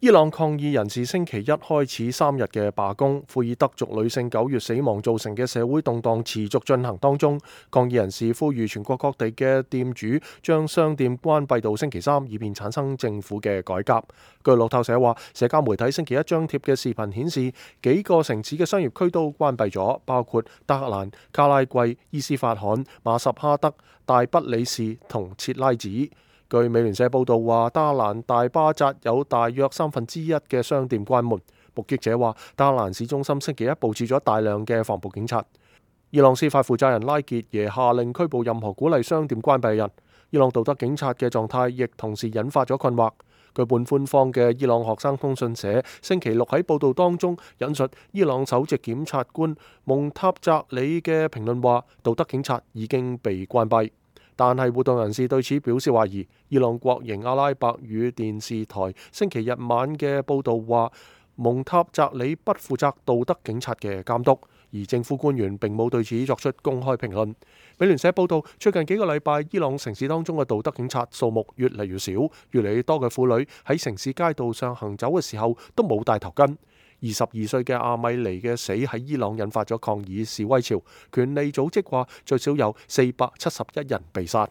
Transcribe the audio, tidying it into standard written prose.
伊朗抗議人士星期一開始3日嘅罷工，庫爾德族女性9月死亡造成嘅社會動盪持續進行當中。抗議人士呼籲全國各地嘅店主將商店關閉到星期3，以便產生政府嘅改革。據路透社話，社交媒體星期一張貼嘅視頻顯示，幾個城市嘅商業區都關閉咗，包括德黑蘭、卡拉季、伊斯法罕、馬什哈德、大不里士同切拉子。據美聯社報道話，德黑蘭大巴扎有大約1/3嘅商店關門。目擊者話，德黑蘭市中心星期一佈置咗大量嘅防暴警察。伊朗司法負責人拉傑耶下令拘捕任何鼓勵商店關閉嘅人。伊朗道德警察嘅狀態亦同時引發咗困惑。據半官方嘅伊朗學生通訊社星期六喺報道當中引述伊朗首席檢察官蒙塔扎里嘅評論話，道德警察已經被關閉。但係活動人士對此表示懷疑。伊朗國營阿拉伯語電視台星期日晚嘅報導話，蒙塔扎里不負責道德警察嘅監督，而政府官員並冇對此作出公開評論。美聯社報導，最近幾個禮拜，伊朗城市當中嘅道德警察數目越嚟越少，越嚟越多嘅婦女喺城市街道上行走嘅時候都冇戴頭巾。22歲嘅阿米尼嘅死喺伊朗引發咗抗議示威潮，權利組織話最少有471人被殺。